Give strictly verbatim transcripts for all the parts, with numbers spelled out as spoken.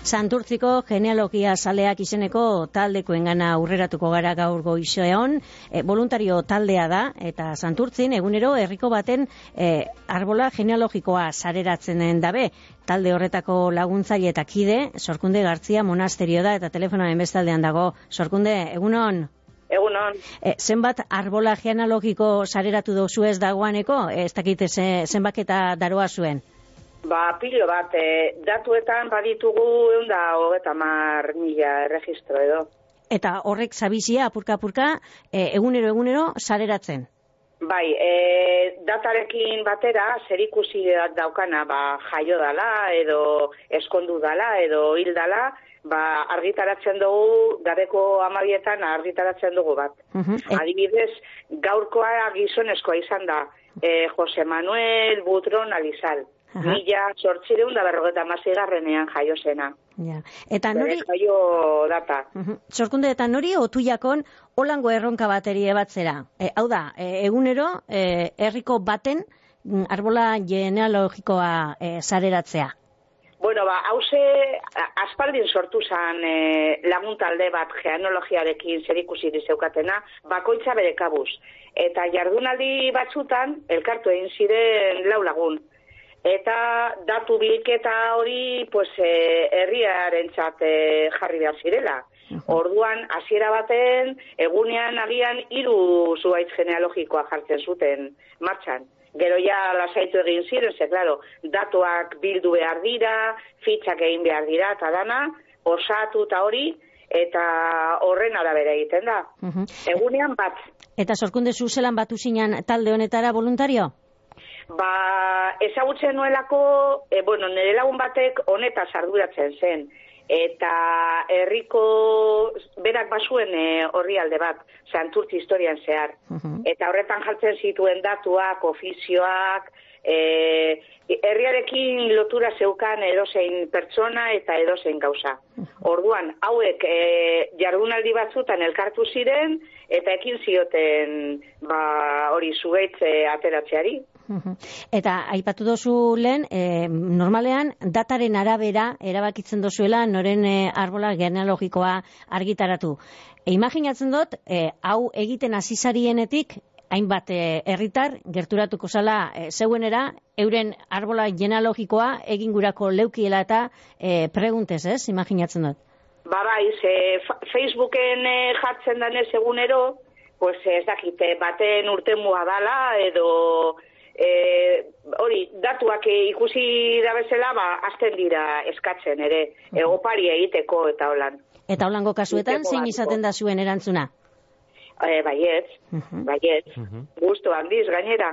Santurtziko genealogia zaleak izeneko taldekoengana aurreratuko gara gaur goizean, e, voluntario taldea da, eta Santurtzin egunero herriko baten e, arbola genealogikoa sareratzen dabe. Talde horretako laguntzaile eta kide, Sorkunde Gartzia monasterio da, eta telefonoaren bestaldean dago. Sorkunde, egunon? Egunon. E, zenbat arbola genealogiko sareratu dozu ez dagoaneko? Ez dakite zenbaketa daroa zuen? Ba, pilo bat, e, datuetan baditugu egun da hogeta mar mila erregistro edo. Eta horrek zabizia, apurka-apurka, e, egunero egunero sareratzen? Bai, e, datarekin batera, zerikusi daukana, ba, jaio dala, edo eskondu dala, edo hil dala, ba, argitaratzen dugu, gabeko amabietan argitaratzen dugu bat. Uh-huh. Adibidez, gaurkoa gizonezkoa izan da, e, Jose Manuel Butron Alizal. Uh-huh. Mila sortzireun da berrogeta mazigarrenean jaio zena. Ja. Eta nori... jaio data. Uh-huh. Sorkunde, eta nori otuiakon holango erronka bateri ebatzera? E, hau da, e, egunero, e, herriko baten arbola genealogikoa e, sareratzea. Bueno, ba, hauze, aspaldin sortu zan e, lagun talde bat genealogiarekin zerikusi zeukatena, bakoitza bere kabuz. Eta jardunaldi batzutan, elkartu egin ziren lau lagun. Eta datu bilketa hori, pues, e, herriarentzat e, jarri behar zirela. Orduan, hasiera baten, egunean agian hiru zuhaitz genealogikoa jartzen zuten martxan. Gero ja lasaitu egin ziren, ze, claro, datuak bildu behar dira, fitxak egin behar dira, eta dana, osatu eta hori, eta horren arabera egiten da. Uh-huh. Egunean bat. Eta Sorkunde zuzelan batu zinan talde honetara voluntario? Ba, ezagutzen nuelako, e, bueno, nire lagun batek honetaz arduratzen zen. Eta herriko berak basuen horri alde bat, Santurtzi historian zehar. Uh-huh. Eta horretan jartzen zituen datuak, ofizioak, e, herriarekin lotura zeukan edozein pertsona eta edozein gauza. Uh-huh. Orduan, hauek e, jardunaldi batzutan elkartu ziren, eta ekin zioten ba, hori zugaitze ateratzeari. Eta aipatu dozu lehen, e, normalean dataren arabera erabakitzen dozuela noren e, arbola genealogikoa argitaratu. E, imaginatzen dut, e, hau egiten azizarienetik, hainbat herritar gerturatuko zala e, zeuenera, euren arbola genealogikoa egin gurako leukiela eta e, preguntez, ez? Imaginatzen dut. Ba bai, ze Facebooken e, jartzen danez egunero, pues ez dakite, baten urtemua dala, edo... E, hori, datuak ikusi da bezala, ba, azten dira eskatzen ere, uh-huh. Egopari egiteko eta holan. Eta holango kasuetan, zein izaten da zuen erantzuna? E, baietz, uh-huh. baietz, uh-huh. Gusto handiz gainera.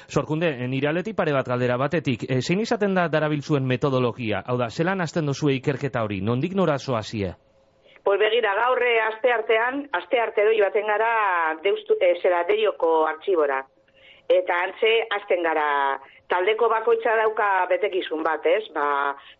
Sorkunde, nire aldetik pare bat galdera batetik, e, zein izaten da darabiltzuen metodologia? Hau da, zelan hasten dozue ikerketa hori, nondik nora zoazie? Pues begira, gaurre aste artean, aste arte doi baten gara deustu, e, zera derioko artxibora. Eta antze, azten gara, taldeko bakoitza dauka betekizun bat, ez? Ba,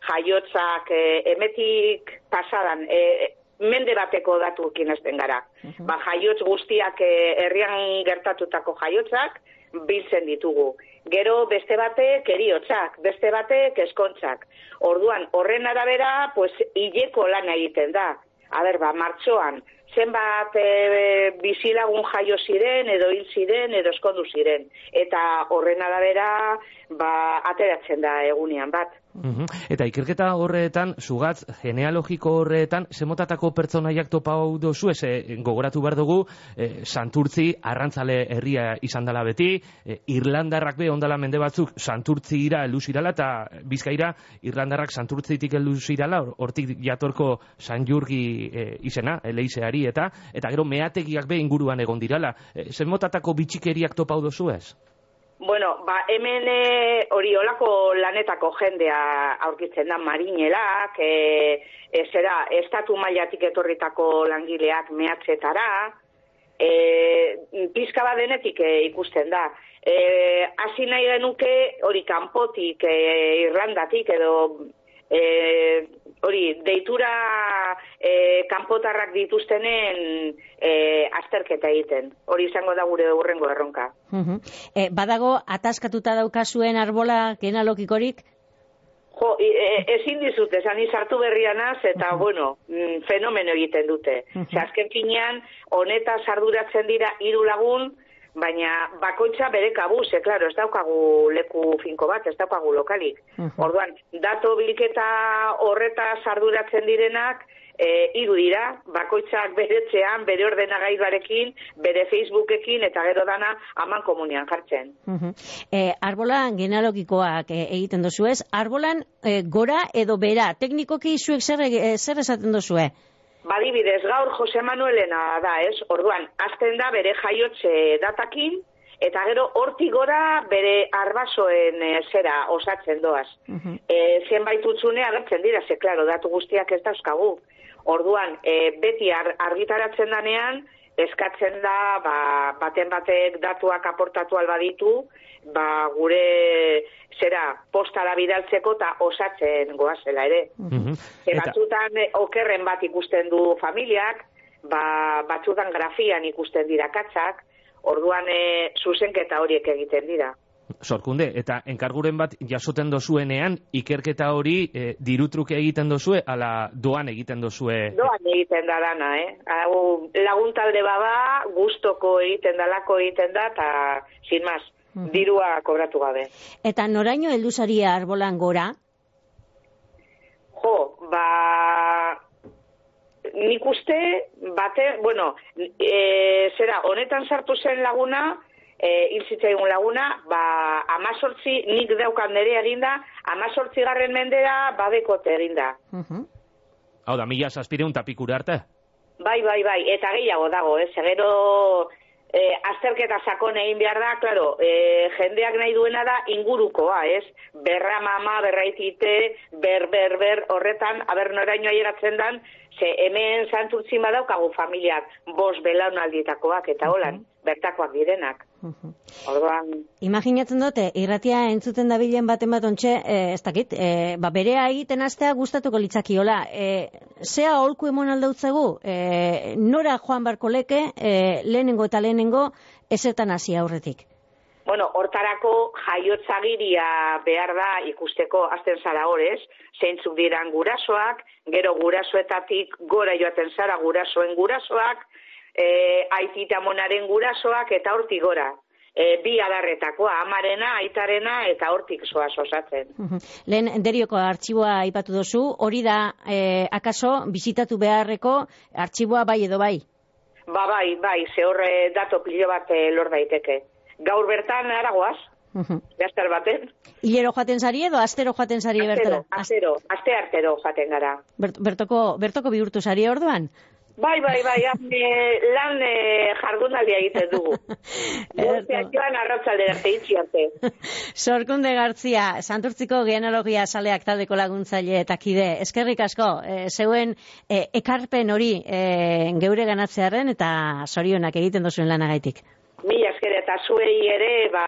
jaiotzak e, emetik pasadan, e, mende bateko datuekin azten gara. Uh-huh. Ba, jaiotz guztiak e, herrian gertatutako jaiotzak biltzen ditugu. Gero beste batek eriotzak, beste batek eskontzak. Orduan, horren arabera, pues, hileko lana egiten da. A ber, ba, martxoan, zenbat e, bizilagun jaio ziren, edo hil ziren, edo eskondu ziren. Eta horren arabera, ba, ateratzen da egunean bat. Uhum. Eta ikerketa horretan, zugatz, genealogiko horretan, zemotatako pertsonaiak topa hau dozu, ez, e, gogoratu behar dugu, e, Santurtzi, arrantzale herria izan dela beti, e, Irlandarrak be ondala mende batzuk, Santurtzira heldu zirala, eta Bizkaira, Irlandarrak Santurtzitik heldu zirala, hortik jatorko San Jurgi e, izena, eleizeari, eta eta gero meategiak be inguruan egon dirala. E, zemotatako bitxikeriak topa hau dozu ez? Bueno, ba, hemen hori olako lanetako jendea aurkitzen da marinelak, e, e, zera, estatu mailatik etorritako langileak mehatzetara, e, pizka bat denetik e, ikusten da. E, hasi nahi genuke hori kanpotik, e, Irlandatik edo e, hori deitura e, kanpotarrak dituztenen e, azterketa egiten. Hori izango da gure hurrengo erronka. Uh-huh. E, badago ataskatuta daukazuen arbola genealogikorik? Jo, e, ezin dizut, esan izartu berrianaz, eta, uh-huh. bueno, mm, fenomeno egiten dute. Uh-huh. Ze azken finean, honetaz arduratzen dira hiru lagun, baina bakoitza bere kabuz, e, klaro, ez daukagu leku finko bat, ez daukagu lokalik. Uh-huh. Orduan, dato bilketa horretaz arduratzen direnak, E, hiru dira, bakoitzak bere etxean, bere ordenagailuarekin, bere Facebookekin, eta gero dana aman komunian jartzen. Uh-huh. e, arbolan genealogikoak e, egiten dozu ez, arbolan e, gora edo bera, teknikoki zuek zer, e, zer esaten dozue? Badibidez, gaur Jose Manuelena da ez, orduan, azten da bere jaiotze datakin, eta gero hortik gora bere arbasoen e, zera osatzen doaz. Uh-huh. e, zenbait utzune agertzen dira, ze, klaro, datu guztiak ez dauzkagu. Orduan, e, beti ar, argitaratzen danean, eskatzen da, ba, baten batek datuak aportatu albaditu, ba, gure, zera, postara bidaltzeko eta osatzen goazela ere. Mm-hmm. E, batzutan, e, okerren bat ikusten du familiak, ba, batzutan grafian ikusten dira katzak, orduan, e, zuzenketa horiek egiten dira. Sorkunde, eta enkarguren bat jasoten dozuenean, ikerketa hori e, dirutruke egiten dozue, ala doan egiten dozue? Doan egiten da dana, eh? Hau, laguntalde bada, gustoko egiten dalako egiten da, eta, sin mas, uh-huh. dirua kobratu gabe. Eta noraino heldu zaria arbolan gora? Jo, ba... Nik uste, bate, bueno, e, zera, honetan sartu zen laguna, E, hilzitzaigun laguna, ba, amazortzi, nik daukan nire eginda, amazortzi garren mendera badekote eginda. Uh-huh. Hau da, mila zazpireun tapikura arte? Bai, bai, bai, eta gehiago dago, ez, gero e, azterketa sakon egin behar da, klaro, e, jendeak nahi duena da ingurukoa, ez, berra mama, berraitite, ber, ber, ber, horretan, aber noraino aieratzen dan, ze hemen Santurtzin badaukagu familiak, bost belaunaldietakoak, eta holan, uh-huh. bertakoak direnak. Uh-huh. Orduan... Imaginatzen dute, irratia entzuten dabilen baten bat ontxe, e, ez dakit, e, ba, berea egiten astea gustatuko litzakiola. E, zea holku emon aldautzegu, e, nora joan barko leke, e, lehenengo eta lehenengo, ezetan hasi aurretik? Bueno, hortarako jaiotzagiria behar da ikusteko azten zara horrez, zeintzuk diran gurasoak, gero gurasoetatik gora joaten zara gurasoen gurasoak, e, aitita monaren gurasoak eta hortik gora. E, bi adarretakoa, amarena, aitarena eta hortik zoaz osatzen. Uh-huh. Lehen derioko artxiboa aipatu dozu, hori da, e, akaso, bizitatu beharreko artxiboa bai edo bai? Ba bai, bai, ze horre dato pilo bat e, lor daiteke. Gaur bertan aragoaz, uh-huh. Gazter baten. Hilero joaten zari edo astero joaten zari bertara? Astero, aste artero joaten gara. Bert, bertoko, bertoko bihurtu zari orduan? Bai, bai, bai, ane, lan e, jardunaldia egiten dugu. Gorteak joan arratzalde arte itxiarte. Sorkunde Gartzia, Santurtziko genealogia saleak taldeko laguntzaile eta kide. Eskerrik asko, e, zeuen e, ekarpen hori e, geure ganatzearen eta zorionak egiten duzuen lanagaitik. Mila esker eta zuei ere, ba,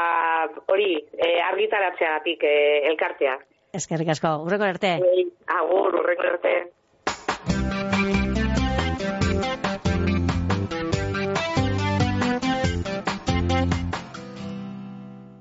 hori, e, argitaratzeagatik e, elkartea. Eskerrik asko, urreko arte. Agur, urreko arte.